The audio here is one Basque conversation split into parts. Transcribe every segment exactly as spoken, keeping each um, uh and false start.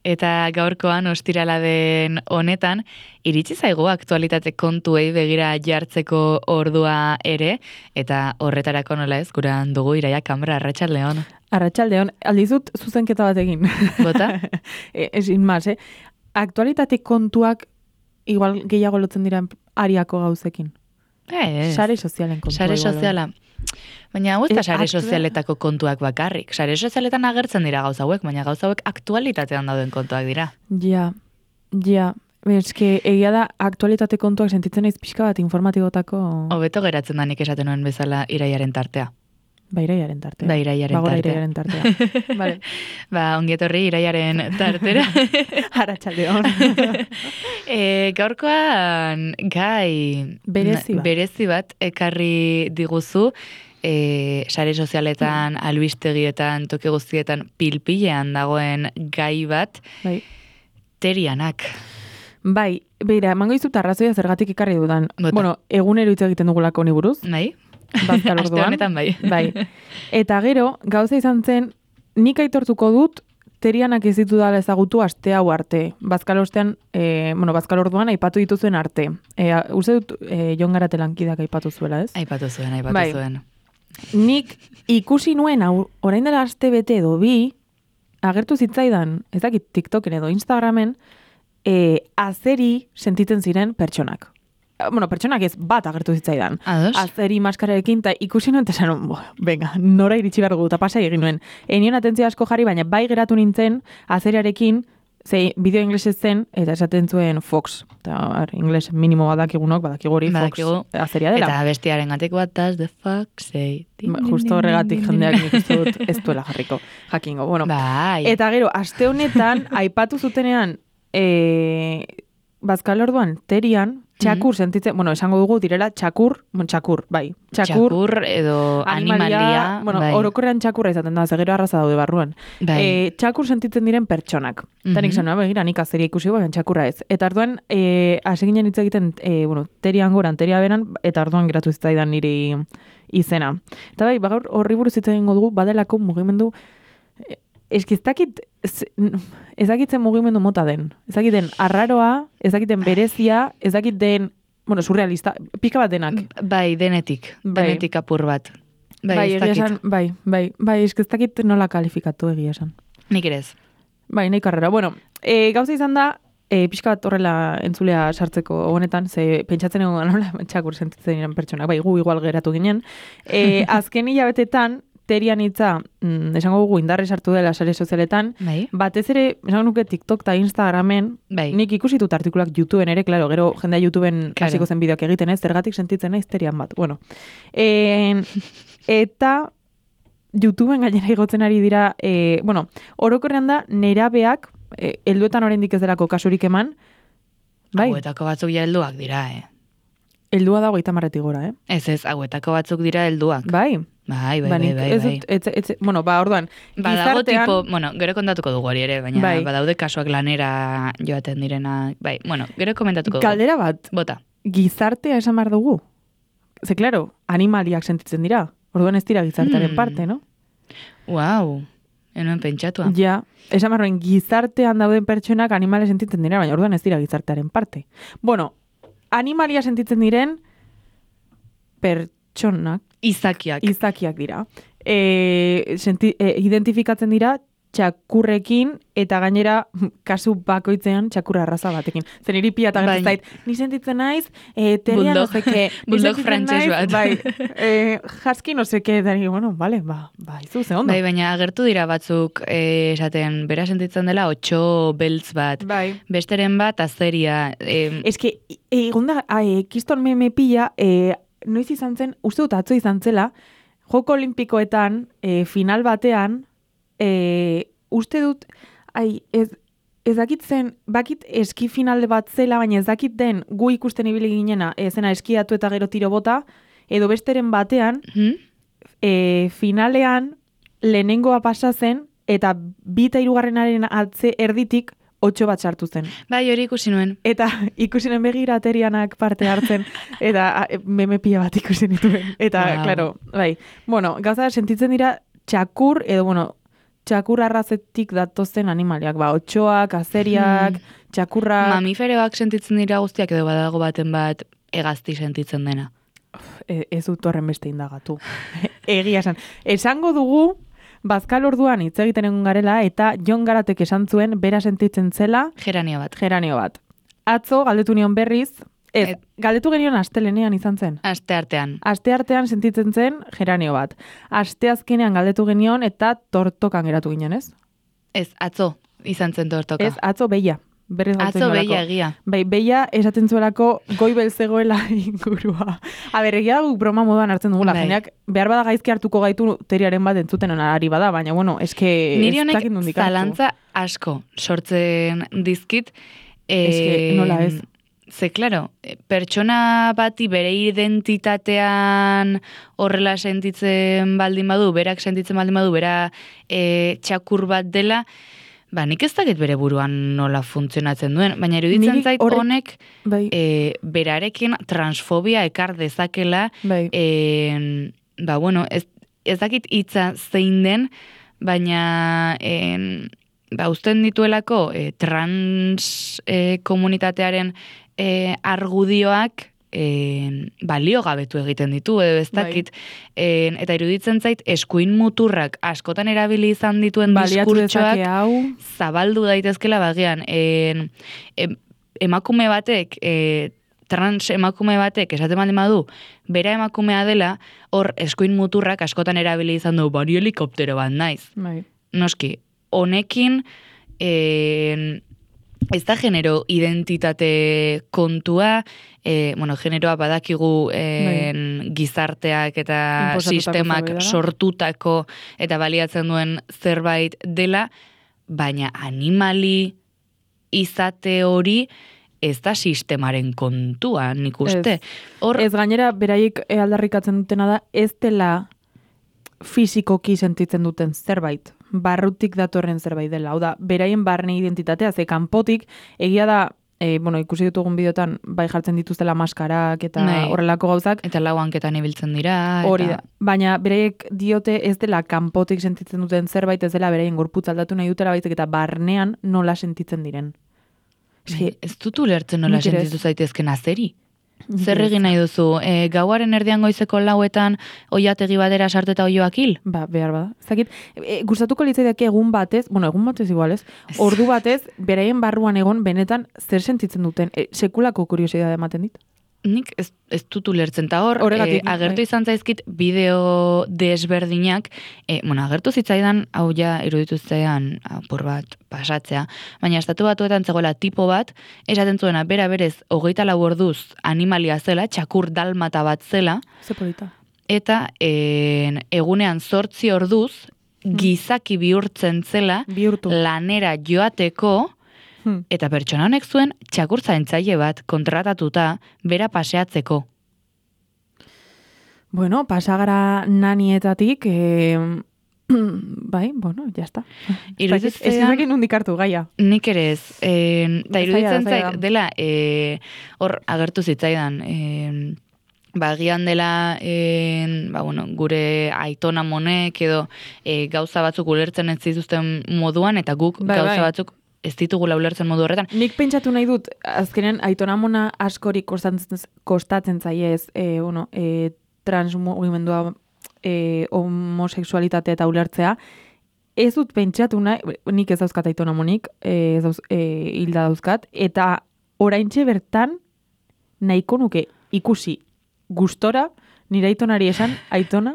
Eta gaurkoan ostirala den honetan, iritsi zaigu aktualitate kontuei begira jartzeko ordua ere, eta horretarako nola ez, guran dugu Iraia Kambra, arratsaldeon. Arratsaldeon, aldizut zuzenketa bat egin. Bota? Ezin maz, eh? Aktualitate kontuak igual gehiago lotzen dira ariako gauzekin. Ez. Sare sozialen kontua. Sare igual, soziala. Baina hau ez da Eh, sare aktua- sozialetako kontuak bakarrik. Sare sozialetan agertzen dira gauza hauek, baina gauza hauek aktualitatean dauden kontuak dira. Ja, ja. Eske, egia da, aktualitate kontuak sentitzen naiz pixka bat informatibotako... Hobeto geratzen da nik esaten nuen bezala Iraiaren tartea. Ba, Iraiaren tartea. Ba, Iraiaren Bagora tartea. Iraiaren tartea. Vale. Ba, ongietorri Iraiaren tartera. Arratsaldeon. e, gaurkoan gai Berezi bat. berezi bat ekarri diguzu, e, sare sozialetan, albistegietan, toki guztietan pilpilean dagoen gai bat, Bai. terianak. Bai, beira, emango dizut arrazoia zergatik ekarri dudan. Bota. Bueno, egunero hitz egiten dugulako ni buruz. Bai? Bazkal Aste orduan. honetan bai. Bai. Eta gero, gauza izan zen, nik aitortuko dut, terianak ez ditu dala ezagutu aste hau arte. Bazkal ostean, e, bueno, bazkal orduan aipatu dituzuen arte. E, uste dut, e, Jon Garate lankidak aipatu zuela, ez? Aipatu zuen, aipatu Bai. zuen. Nik ikusi nuen, hau, orain dela aste bete edo bi, agertu zitzaidan, ez dakit TikToken edo Instagramen, e, azeri sentitzen ziren pertsonak. Bueno, pertsonak ez bat agertu zitzaidan. Ados? Azeri maskararekin, eta ikusi nuen, eta esan, bo, venga, nora iritsi behar dugu, eta pasai egin nuen. Enion atentzia asko jarri, baina bai geratu nintzen, azeriarekin, ze bideo inglesez zen, eta esaten zuen Fox. Eta ar, ingles minimo badakigunok, badakigu hori Fox Badakigu. azeria dela. Eta bestiaren gatik, what does the fuck say? Din, Ba, din, Justo din, horregatik din, din, jendeak din. nik uste dut ez duela jarriko, jakingo. Bueno, Bai. eta gero, aste honetan, aipatu zutenean, e, bazkal orduan, terian, txakur sentitzen, bueno, esango dugu direla txakur, bueno, txakur, bai. Txakur, Txakur edo animalia. bueno, bai. orokorrean txakurra izaten da, zegero arraza daude barruan. Bai. E, txakur sentitzen diren pertsonak. Eta nik Mhm. zan, begira, nik azeria ikusi, baina txakurra ez. Eta orduan, e, hasi ginen hitz egiten, e, bueno, terian goran, teria beran, eta orduan geratu zitzaidan niri izena. Eta bai, gaur horri buruz hitz egingo dugu, badelako mugimendu, e, eski ez dakit, ez ez dakit zen mugimendu mota den. Ez dakit den arraroa, ez dakit den berezia, ez dakit den, bueno, surrealista, pika bat denak. Bai, denetik. Bai. Denetik apur bat. Bai, bai, ez egia dakit. esan, bai, bai, bai, eski ez dakit nola kalifikatu egia esan. Nik ere ez. Bai, nahi karrera. Bueno, e, gauza izan da, e, pixka bat horrela entzulea sartzeko honetan, ze pentsatzen egon nola txakur sentitzen diren pertsonak, bai, gu igual geratu ginen. E, azken hilabetetan, terian hitza, mm, esango dugu indarre sartu dela sare sozialetan, Bai. batez ere, esango nuke TikTok eta Instagramen, Bai. nik ikusi dut artikulak YouTubeen ere, claro, gero jendea YouTubeen Claro. hasiko zen bideoak egiten, ez, zergatik sentitzen naiz terian bat. Bueno, e, eta YouTubeen gainera igotzen ari dira, e, bueno, orokorrean da, nerabeak, e, helduetan oraindik ez delako kasurik eman, bai, Hauetako batzuk ja helduak dira, eh? heldua dago eta marretik gora, eh? Ez ez, hauetako batzuk dira helduak. Bai, Bai, bai, ba, bai, nik bai. ez bai. dut, ez, ez, bueno, ba, orduan, Badago gizartean- tipo, bueno, gero kontatuko dugu hori ere, baina Bai. badaude kasuak lanera joaten direnak. Bai, bueno, gero komentatuko dugu. Galdera bat, Bota. gizartea esan behar dugu. Ze, claro, animaliak sentitzen dira. Orduan ez dira gizartearen Hmm. parte, no? Wow, enuen pentsatua. Ja, esan behar duen, gizartean dauden pertsonak animale sentitzen dira, baina orduan ez dira gizartearen parte. Bueno, animalia sentitzen diren pertsonak, Izakiak. izakiak dira. E, senti, e, identifikatzen dira txakurrekin eta gainera kasu bakoitzean txakurra arraza batekin. Zen iri pia eta gertu Bai. zait, ni sentitzen naiz, e, teria no Bulldog- seke, ni bulldog sentitzen frantses naiz, bat. bai, e, jaski no seke, eta ni, bueno, vale, ba, ba, izu, ze ondo. Bai, baina agertu dira batzuk eh, esaten, bera sentitzen dela otxo beltz bat. Bai. Besteren bat azeria. Eh, Ez que, egon da, e, kiston meme pila, e, noiz izan zen, uste dut atzo izan zela, Joko Olimpikoetan, e, final batean, e, uste dut, ai, ez, ez dakit zen, bakit eski final bat zela, baina ez dakit den gu ikusten ibili ginena, e, zena eskiatu eta gero tiro bota, edo besteren batean, hmm? e, finalean lehenengoa pasa zen, eta bi eta hirugarrenaren atze erditik, otxo bat sartu zen. Bai, hori ikusi nuen. Eta ikusinen begira terianak parte hartzen, eta a, meme pila bat ikusi nituen. Eta, Wow. claro, bai. Bueno, gauza da, sentitzen dira txakur, edo, bueno, txakur arrazetik datozen animaliak, ba, otxoak, azeriak, Hmm. txakurrak... Mamiferoak sentitzen dira guztiak edo badago baten bat hegazti sentitzen dena. E, ez dut horren beste indagatu. Egia esan. Esango dugu, bazkal orduan hitz egiten egon garela, eta Jon Garatek esan zuen, bera sentitzen zela, Geranio bat. geranio bat. Atzo, galdetu nion berriz, ez, Et- galdetu genion astelenean izan zen. Aste artean. Aste artean sentitzen zen geranio bat. Aste azkenean galdetu genion eta tortokan geratu ginen, ez? Ez, atzo izan zen tortoka. Ez, atzo beia. Berriz galdetzen Atzo nuelako. behia egia. Bai, beia esaten zuelako goibel zegoela ingurua. A ber, egia guk broma moduan hartzen dugula. Bai. Jendeak behar bada gaizki hartuko gaitu teriaren bat entzuten ari bada, baina bueno, eske Niri ez honek dakit nondik hartu. zalantza asko sortzen dizkit. Eske, nola ez? Ze, claro, pertsona bati bere identitatean horrela sentitzen baldin badu, berak sentitzen baldin badu, bera e, txakur bat dela, ba, nik ez dakit bere buruan nola funtzionatzen duen, baina iruditzen Niri zait horrek- honek Bai, e, berarekin transfobia ekar dezakela, bai. en, ba, bueno, ez, ez dakit hitza zein den, baina en, ba, uzten dituelako e, trans e, komunitatearen e, argudioak e, balio gabetu egiten ditu, edo ez Bai. dakit, en, eta iruditzen zait eskuin muturrak askotan erabili izan dituen Baliatu diskurtsoak dezake hau. zabaldu daitezkela bagian. En, em, emakume batek, e, trans emakume batek, esaten baldin badu, bera emakumea dela, hor eskuin muturrak askotan erabili izan du, bari helikoptero bat naiz. Bai. Noski, honekin, en, ez da genero identitate kontua, e, bueno, generoa badakigu en, gizarteak eta Inposatutako sistemak zerbait dela. sortutako eta baliatzen duen zerbait dela, baina animali izate hori ez da sistemaren kontua, nik uste. Hor, Ez gainera, beraiek eh, aldarrikatzen dutena da, ez dela fisikoki sentitzen duten zerbait, barrutik datorren zerbait dela. Hau da, beraien barne identitatea, ze kanpotik, egia da, e, bueno, ikusi ditugun bideotan, bai jartzen dituztela maskarak eta Bai. horrelako gauzak, eta lau hanketan ibiltzen dira. hori eta- da. Baina beraiek diote ez dela kanpotik sentitzen duten zerbait, ez dela beraien gorputz aldatu nahi dutela baizik eta barnean nola sentitzen diren. Bai, ez dut ulertzen nola Nik ere ez. sentitu zaitezken azeri. Nik Zer ere ez. egin nahi duzu? E, gauaren erdian goizeko lauetan oiategi badera sartu eta oioak hil? Ba, behar bada. Zakit, e, gustatuko litzaidake egun batez, bueno, egun batez igual ez, Ez. ordu batez, beraien barruan egon benetan zer sentitzen duten. E, sekulako kuriosidade ematen dit. Nik ez, ez dut ulertzen. Ta hor, Horregatik, eh, agertu bai. izan zaizkit bideo desberdinak, eh, bueno, agertu zitzaidan, hau ja iruditu zitzaidan apur bat pasatzea, baina estatu batuetan zegoela tipo bat, esaten zuena, bera berez, hogeita lau orduz animalia zela, txakur dalmata bat zela, Ze polita. eta en, egunean zortzi orduz, gizaki bihurtzen zela, Bihurtu. lanera joateko, Hmm. eta pertsona honek zuen txakur zaintzaile bat kontratatuta bera paseatzeko. Bueno, pasagara nanietatik, e, bai, bueno, ya está. Iruditzen Ez ezagin nondik hartu gaia. Nik ere ez. Eh, da Zaila da, iruditzen zaila zait da. dela eh, hor agertu zitzaidan eh, ba, agian dela eh, ba, bueno, gure aitona monek edo eh, gauza batzuk ulertzen ez zituzten moduan eta guk Bai, gauza bai. batzuk ez ditugula ulertzen modu horretan. Nik pentsatu nahi dut, azkenean, aitonamona askorik kostatzen, kostatzen zaiez, e, bueno, e, transmugimendua, e, homosexualitatea eta ulertzea, ez dut pentsatu nahi, nik ez dauzkat aitonamonik, e, ez dauz, e, hilda dauzkat, eta oraintxe bertan nahiko nuke ikusi gustora, nire aitonari esan, aitona,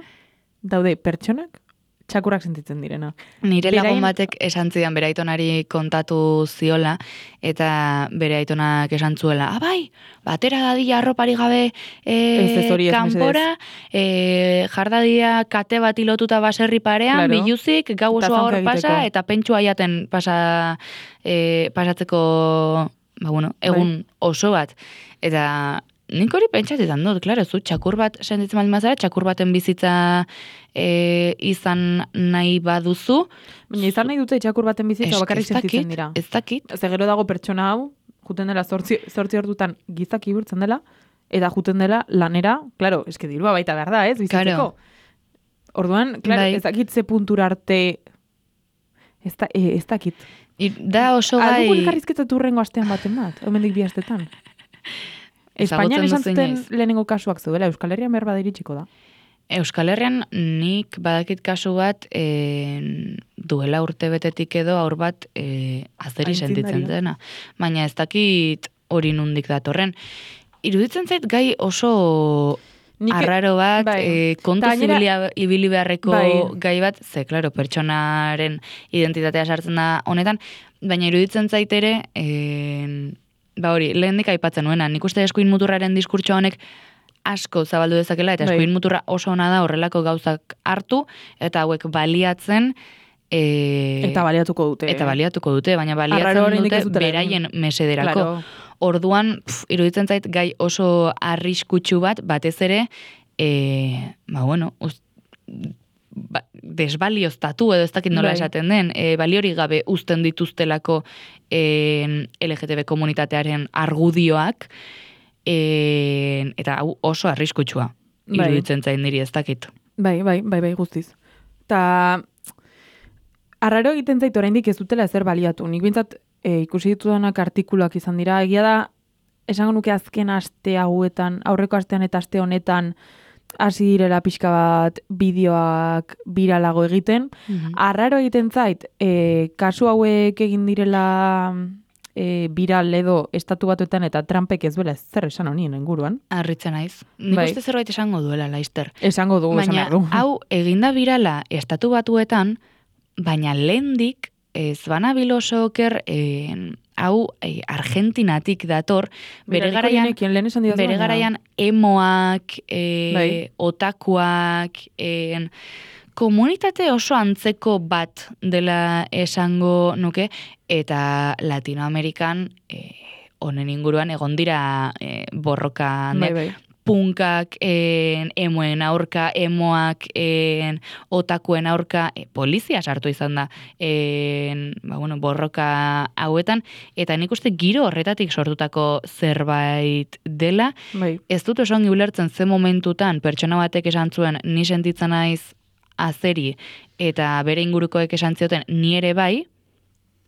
daude pertsonak, txakurrak sentitzen direna. Nire lagun Beraien- batek esan zidan bere aitonari kontatu ziola, eta bere aitonak esan zuela, ah, bai, batera dadila arropari gabe Ez, ez hori e, ez, kanpora, e, jardadia kate bat ilotuta baserri parean, Claro. biluzik, gau Eta osoa hor zaunka pasa, egiteko. eta pentsua jaten pasa, e, pasatzeko, ba, bueno, egun oso bat. Eta nik hori pentsatzen dut, klaro, zu txakur bat sentitzen baldin bazara, txakur baten bizitza e, izan nahi baduzu, Baina izan nahi dute txakur baten bizitza eske bakarrik ez dakit, sentitzen dira. Ez dakit, Ze gero dago pertsona hau, juten dela zortzi, zortzi ordutan gizaki bihurtzen dela, eta juten dela lanera, claro, eske dirua baita behar da, ez, bizitzeko. Claro. Orduan, claro, Bai. ez dakit ze puntura arte Ez, da, e, ez dakit. I, da oso gai... Aldugu elkarrizketatu urrengo astean baten bat, hemendik bi astetan. Espainian esan zuten lehenengo kasuak zeudela, Euskal Herrian behar badiritsiko da. Euskal Herrian nik badakit kasu bat e, duela urte betetik edo aur bat e, azeri sentitzen dena. Baina ez dakit hori nundik datorren. Iruditzen zait gai oso... Nik, arraro bat, bai. e, kontu zibilia ibili beharreko bai. gai bat, ze, klaro, pertsonaren identitatea sartzen da honetan, baina iruditzen zait ere, e, ba hori, lehendik aipatzen nuena, nik uste eskuin muturraren diskurtso honek asko zabaldu dezakela, eta eskuin bai. muturra oso ona da horrelako gauzak hartu, eta hauek baliatzen, e, eta baliatuko dute. Eta baliatuko dute, baina baliatzen dute beraien mesederako. Claro. Orduan, pf, iruditzen zait gai oso arriskutsu bat, batez ere, e, ba bueno, uz, ba, desbalioztatu edo ez dakit nola bai. esaten den, e, baliori gabe uzten dituztelako e, L G T B komunitatearen argudioak, e, eta hau oso arriskutsua, iruditzen bai. zait niri ez dakit. Bai, bai, bai, bai, guztiz. Ta, arraro egiten zait oraindik ez dutela ezer baliatu. Nik bintzat, E, ikusi ditudanak artikuluak izan dira. Egia da, esango nuke azken aste hauetan, aurreko astean eta aste honetan, hasi direla pixka bat bideoak biralago egiten. Mm-hmm. Arraro egiten zait, e, kasu hauek egin direla e, viral edo estatu batuetan eta Trumpek ez duela zer esan honien inguruan. Arritzen naiz. Nik bai. uste zerbait esango duela, Laister. Esango dugu, esan behar du. Baina, hau eginda virala estatu batuetan, baina lehendik ez banabil oso oker, eh, hau eh, Argentinatik dator, bere garaian, bere garaian emoak, eh, bai. otakuak, eh, komunitate oso antzeko bat dela esango nuke, eta Latinoamerikan eh, honen inguruan egon dira eh, borroka bai, bai. punkak, en, emoen aurka, emoak, en, otakuen aurka, e, polizia sartu izan da, en, ba, bueno, borroka hauetan, eta nik uste giro horretatik sortutako zerbait dela, bai. Ez dut oso ongi ulertzen ze momentutan pertsona batek esan zuen ni sentitzen naiz azeri, eta bere ingurukoek esan zioten ni ere bai,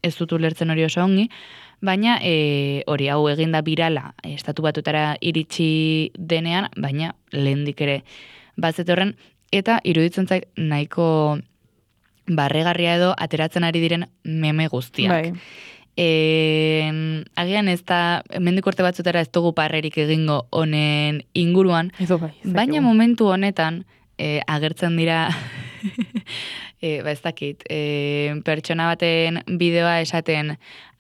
ez dut ulertzen hori oso ongi, baina e, hori hau eginda birala estatu batutara iritsi denean, baina lehendik ere bazetorren, eta iruditzen zait nahiko barregarria edo ateratzen ari diren meme guztiak. Bai. E, agian ez da, mendik urte batzutara ez dugu parrerik egingo honen inguruan, Edo bai, baina momentu honetan e, agertzen dira... E, ba ez dakit, e, pertsona baten bideoa esaten,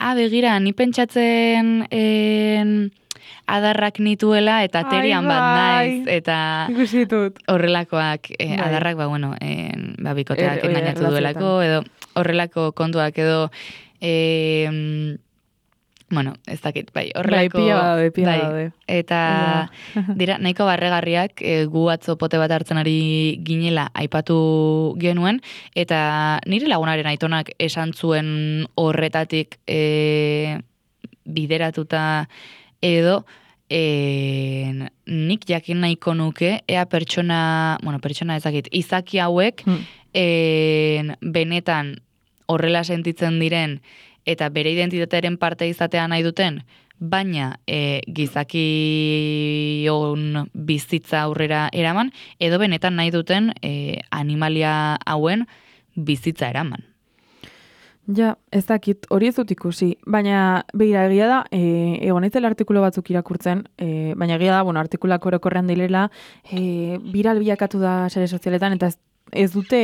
ah, begira, ni pentsatzen en, adarrak nituela eta terian bat naiz, eta horrelakoak, e, adarrak, ba, bueno, en, ba, bikoteak er, engainatu duelako, edo horrelako kontuak, edo, e, bueno, ez dakit, bai, horrelako... Bai, pila badaude, pila badaude. Eta dira, nahiko barregarriak, e, gu atzo pote bat hartzen ari ginela aipatu genuen, eta nire lagunaren aitonak esan zuen horretatik e, bideratuta edo, e, nik jakin nahiko nuke, ea pertsona, bueno, pertsona ezakit, izaki hauek, hmm. e, benetan horrela sentitzen diren, eta bere identitatearen parte izatea nahi duten, baina e, gizakion bizitza aurrera eraman, edo benetan nahi duten e, animalia hauen bizitza eraman. Ja, ez dakit, hori ez dut ikusi, baina behira egia da, e, egon eitzela artikulo batzuk irakurtzen, e, baina egia da, bueno, artikulak orokorrean dilela, e, viral bilakatu da sare sozialetan, eta ez, ez dute...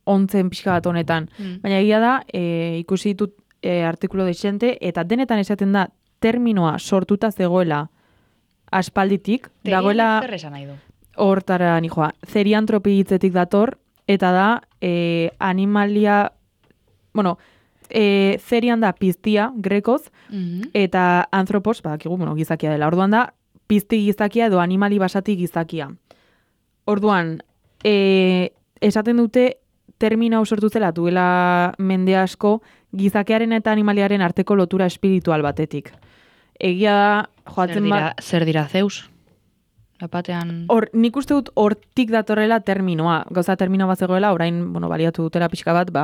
ontzen pixka bat honetan. Mm. Baina egia da, e, ikusi ditut e, artikulo desente, eta denetan esaten da, terminoa sortuta zegoela aspalditik, dagoela hortara nijoa, zeriantropi hitzetik dator, eta da, e, animalia, bueno, e, zerian da piztia, grekoz, mm-hmm. eta anthropos, badakigu, bueno, gizakia dela. Orduan da, pizti gizakia edo animali basati gizakia. Orduan, e, esaten dute, termina sortu zela duela mende asko gizakearen eta animaliaren arteko lotura espiritual batetik. Egia da, joatzen zer dira, ba... zer dira Zeus? Lapatean... Hor, nik uste dut hortik datorrela terminoa. Gauza termino bat zegoela, orain, bueno, baliatu dutela pixka bat, ba,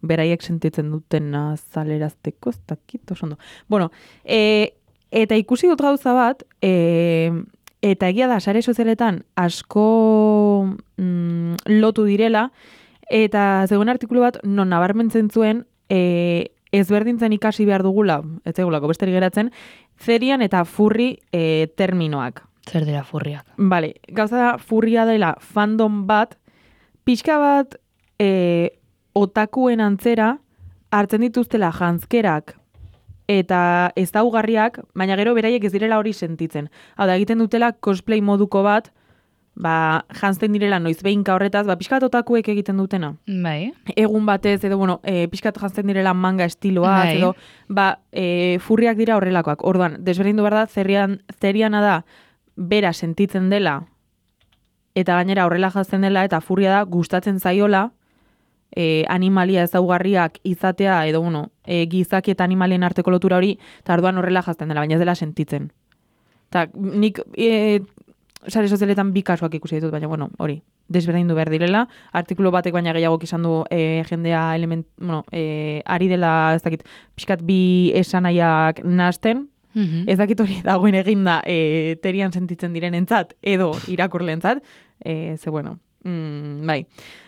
beraiek sentitzen duten azalerazteko, ez dakit, oso ondo. Bueno, e, eta ikusi dut gauza bat, e, eta egia da, sare sozialetan asko mm, lotu direla, eta zegoen artikulu bat, non nabarmentzen zuen, e, ezberdintzen ikasi behar dugula, ez zegulako besterik geratzen, zerian eta furri e, terminoak. Zer dira furriak? Bale, gauza da furria dela fandom bat, pixka bat e, otakuen antzera hartzen dituztela janzkerak eta ezaugarriak, baina gero beraiek ez direla hori sentitzen. Hau da, egiten dutela cosplay moduko bat, ba, janzten direla noiz behinka horretaz, ba, pixkat otakuek egiten dutena. Bai. Egun batez, edo, bueno, e, pixkat janzten direla manga estiloa, Bai. edo, ba, e, furriak dira horrelakoak. Orduan, desberdindu behar da, zerian, zeriana da, bera sentitzen dela, eta gainera horrela jazten dela, eta furria da gustatzen zaiola, e, animalia ezaugarriak izatea, edo bueno, e, gizaki eta animalien arteko lotura hori, eta orduan horrela jazten dela, baina ez dela sentitzen. Eta nik e, sare sozialetan bi kasuak ikusi ditut, baina bueno, hori, desberdindu behar direla, artikulu batek baina gehiago izan du e, jendea element, bueno, e, ari dela, ez dakit, pixkat bi esanaiak nahasten, Mhm. ez dakit hori dagoen eginda e, terian sentitzen direnentzat edo irakurleentzat, e, ze bueno, mm, bai.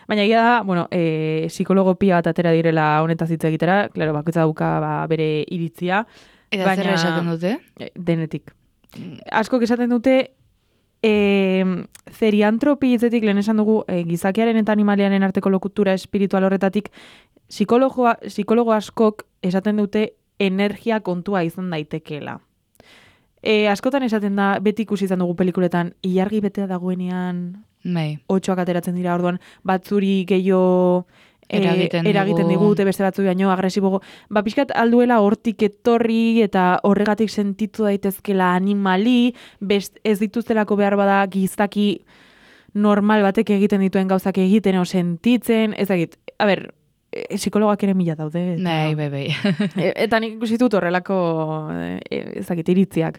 Baina egia da, bueno, e, psikologo pia bat atera direla honetaz hitz egitera, claro, bakoitza dauka ba, bere iritzia. Eta baina, zer esaten dute? e, Denetik. Askok esaten dute, e, zeriantropi hitzetik lehen esan dugu, e, gizakiaren eta animaliaren arteko lokutura espiritual horretatik, psikologoa, psikologo askok esaten dute energia kontua izan daitekeela. E, askotan esaten da, beti ikusi izan dugu pelikuletan, ilargi betea dagoenean, Bai. otxoak ateratzen dira, orduan, batzuri gehiago e, Eragiten eragiten digu. digute, beste batzu baino agresibogo. Ba, pixkat alduela hortik etorri eta horregatik sentitu daitezkela animali, best, ez dituztelako behar bada gizaki normal batek egiten dituen gauzak egiten o sentitzen, ez dakit, a ber, e, psikologak ere mila daude. Eta, Bai, bai, bai. e, eta nik ikusi dut horrelako, e, ez dakit, iritziak.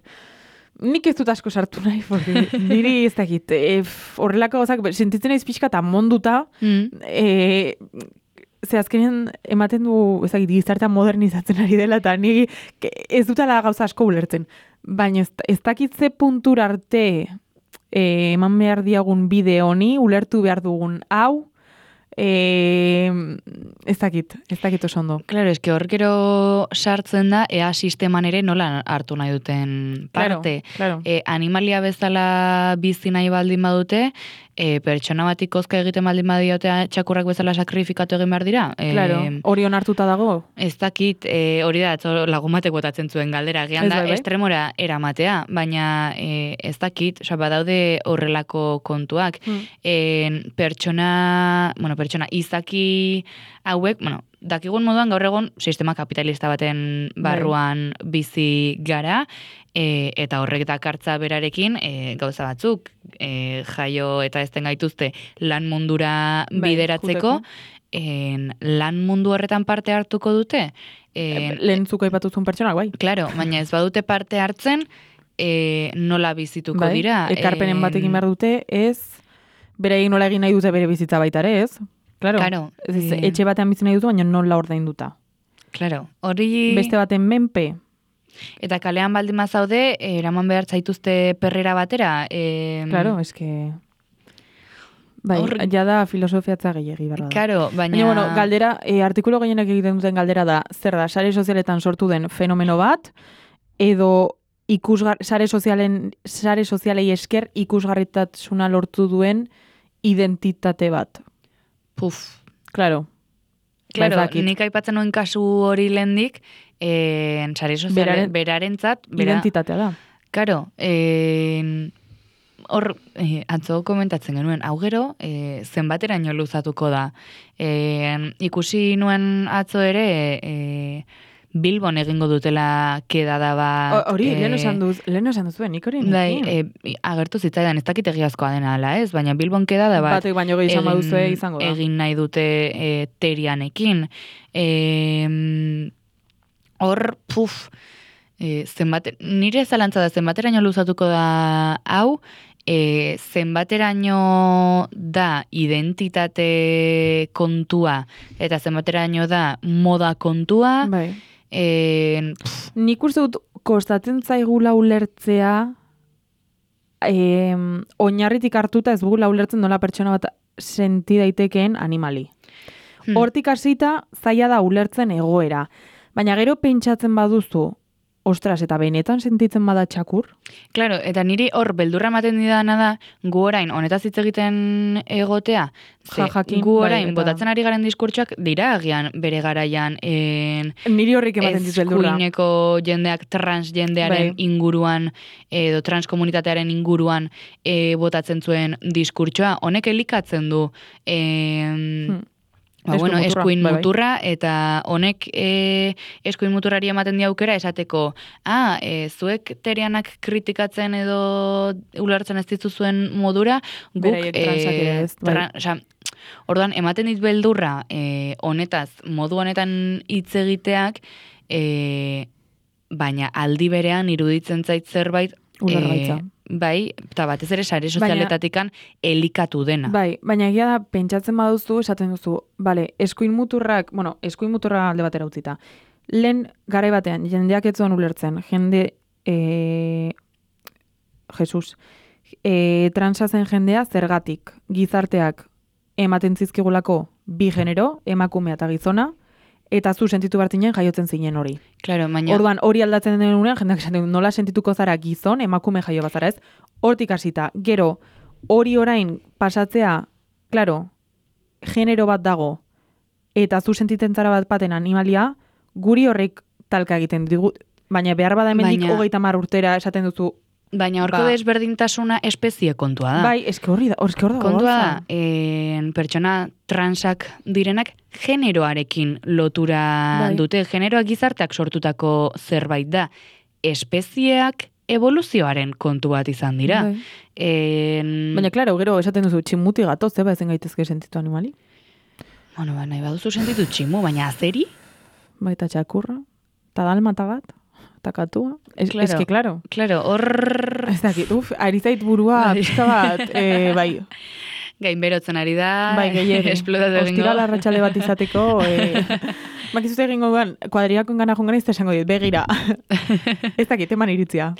Nik ez dut asko sartu nahi, porque niri ez dakit, e, f- horrelako gauzak, sentitzen naiz pixka eta monduta, Mm. e, ze azkenean ematen du, ez dakit, gizartea modernizatzen ari dela, eta ni ke- ez dutala gauza asko ulertzen. Baina ez, ez dakit ze puntura arte e, eman behar diagun bide honi, ulertu behar dugun hau, e, ez dakit, ez dakit oso ondo. Claro, eske hor gero sartzen da, ea sisteman ere nola hartu nahi duten parte. Claro, claro. E, animalia bezala bizi nahi baldin badute, e, pertsona batik kozka egiten baldin badiote txakurrak bezala sakrifikatu egin behar dira. E, Claro, hori onartuta dago. Ez dakit, e, hori da, atzo lagun batek botatzen zuen galdera, gian Ez da, bai, bai. estremora eramatea, baina e, ez dakit, oza, badaude horrelako kontuak. Mm. En, pertsona, bueno, pertsona izaki hauek, bueno, dakigun moduan gaur egun sistema kapitalista baten barruan bizi gara, e, eta horrek dakartza berarekin e, gauza batzuk, e, jaio eta ezten gaituzte lan mundura Bai, bideratzeko, juteko. en, lan mundu horretan parte hartuko dute. En, Lehen zuko aipatuzun pertsonak, bai. Claro, baina ez badute parte hartzen, e, nola bizituko Bai, dira. ekarpenen En, bat egin behar dute, ez, beraiek nola egin nahi dute bere bizitza baita ere, ez? Claro, Claro, ez, ez, eh. etxe batean bizi nahi dute, baina nola ordainduta. Claro, hori... Beste baten menpe, Eta kalean baldin bazaude, eh, eraman behar zaituzte perrera batera. E, claro, eske... Bai, Hor- ja da filosofiatza gehiagi barra da. Claro, baina... Baina, bueno, galdera, e, artikulu gehienak egiten duten galdera da, zer da, sare sozialetan sortu den fenomeno bat, edo ikusgar, sare sozialen, sare sozialei esker ikusgarritasuna lortu duen identitate bat. Puf. Claro. Claro, Ba, ez dakit. nik aipatzen nuen kasu hori lehendik, eh, sare soziale, Beraren- berarentzat, bera, Identitatea da. Claro, eh, hor, eh, atzo komentatzen genuen, hau gero, eh, zenbateraino luzatuko da. Eh, ikusi nuen atzo ere, eh, Bilbon egingo dutela kedada bat. O- Hori, eh, lehen esan duz, lehen esan duzuen, nik hori Bai, nekin. e, agertu zitzaidan, ez dakit egiazkoa dena ala, ez? Baina Bilbon kedada bat Batek baino gehi izan baduzue izango da. egin nahi dute e, terianekin. E, hor, puf, e, zenbat, nire zalantza da zenbateraino luzatuko da hau, e, zenbateraino da identitate kontua eta zenbateraino da moda kontua. Bai. E, Nik uste dut kostatzen zaigula ulertzea eh, oinarritik hartuta ez dugula ulertzen nola pertsona bat senti daitekeen animali. Hmm. Hortik hasita zaila da ulertzen egoera. Baina gero pentsatzen baduzu, ostras, eta benetan sentitzen bada txakur? Claro, eta niri hor beldurra ematen didana da, gu orain honetaz hitz egiten egotea, ze Ja, jakin, gu bai, orain eta- botatzen ari garen diskurtsoak dira agian bere garaian en, Niri horrik ematen dit beldurra. eskuineko jendeak trans jendearen Bai. inguruan edo trans komunitatearen inguruan e, botatzen zuen diskurtsoa. Honek elikatzen du em, Hmm. Ba, Eskuin bueno, muturra, eskuin bai, bai. muturra, eta honek e, eskuin muturrari ematen di aukera esateko, ah, e, zuek terianak kritikatzen edo ulertzen ez dituzuen modura, guk, Beraiek transak ere ez, bai. tra- osea, orduan, ematen dit beldurra e, honetaz, modu honetan hitz egiteak, e, baina aldi berean iruditzen zait zerbait, Ulergaitza. bai, eta batez ere sare sozialetatikan elikatu dena. Bai, baina egia da, pentsatzen baduzu, esaten duzu, bale, eskuin muturrak, bueno, eskuin muturra alde batera utzita. Lehen garai batean, jendeak ez zuen ulertzen, jende, e, Jesus, e, transa zen jendea zergatik, gizarteak ematen zizkigulako bi genero, emakumea eta gizona, eta zu sentitu bartinen jaiotzen zinen hori. Claro, baina... Orduan, hori aldatzen denunean, jendeak esaten du, nola sentituko zara gizon, emakume jaio bazara ez, hortik hasita. Gero, hori orain pasatzea, claro, genero bat dago, eta zu sentitzen zara bat baten animalia, guri horrek talka egiten digu, baina behar bada hemendik Baina- hogeita mar urtera esaten duzu, Baina horko Ba. desberdintasuna espezie kontua da. bai, eske horri da, eske hor dago Kontua da, gauza. en, pertsona transak direnak generoarekin lotura Bai. dute. Generoak gizarteak sortutako zerbait da. Espezieak evoluzioaren kontu bat izan dira. Bai. En, Baina, klaro, gero esaten duzu, tximuti gatoz, zeba ezen gaitezke sentitu animali? bueno, ba, nahi baduzu sentitu tximu, baina azeri? Baita txakurra, eta dalmata bat, eta katua. Es, Claro. Eske, klaro. Claro, hor Ez dakit, uf, ari zait burua, Bai. pixka bat, e, bai, gainberotzen ari da, bai, gehiegi. esplotatu egingo. Ostira larratxalde bat izateko, e, bakizute egingo duan, kuadriakon gana jongan ez esango dit, begira. Ez dakit, eman iritzia.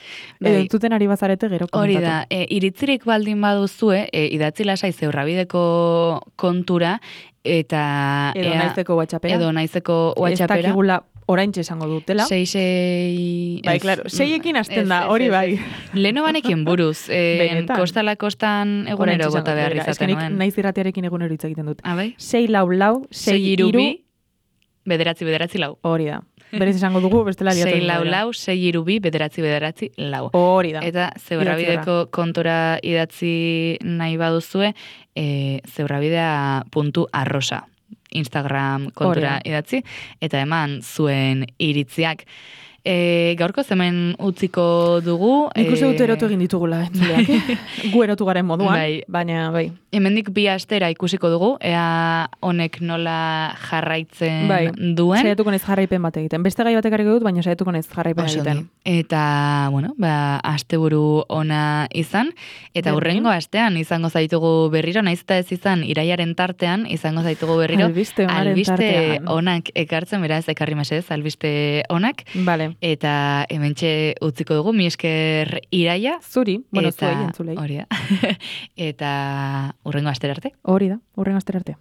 Bai. Edo zuten ari bazarete gero Hori komentatu. da, e, iritzirik baldin baduzue, e, idatzi lasai zeurrabideko kontura, eta... Edo ea- naizeko WhatsAppera. Edo naizeko Ez WhatsAppera. dakigula oraintxe esango dutela. Sei, sei... Bai, ez. claro, seiekin hasten Ez, da, ez, hori ez, bai. ez. Leheno banekin buruz, e, Benetan. kostala kostan egunero Oraintxe bota esango behar dutela. izaten Eske nik nuen. naiz irratiarekin egunero hitz egiten dut. Ah, bai? Sei lau lau, sei, Sei iru iru, bi, bederatzi bederatzi lau. hori da. Berez esango dugu, bestela liatu. Sei egingo lau dela. lau, sei iru bi, bederatzi bederatzi lau. Hori da. Eta zeurrabideko kontura idatzi nahi baduzue, e, zeurrabidea puntu arrosa. Instagram kontura Hori idatzi, eta eman zuen iritziak. E, gaurko zemen utziko dugu. Nik uste dut e, erotu egin ditugula, entzuleak. eh? Gu erotu garen moduan, Bai. baina bai. Hemendik bi astera ikusiko dugu, ea honek nola jarraitzen Bai. duen. Saiatuko naiz jarraipen bat egiten. Beste gai batek dut, baina saiatuko naiz jarraipen Oso egiten. ondo. Eta, bueno, ba, asteburu ona izan, eta Berdin. hurrengo astean izango zaitugu berriro, naiz eta ez izan, iraiaren tartean izango zaitugu berriro, Albiste onaren albiste tartean. onak ekartzen, beraz, ekarri mesedez, albiste onak, Vale. eta hementxe utziko dugu, mi esker iraia, Zuri, bueno, eta, zuei, entzulei. hori da, eta hurrengo astera arte. Hori da, hurren astera arte.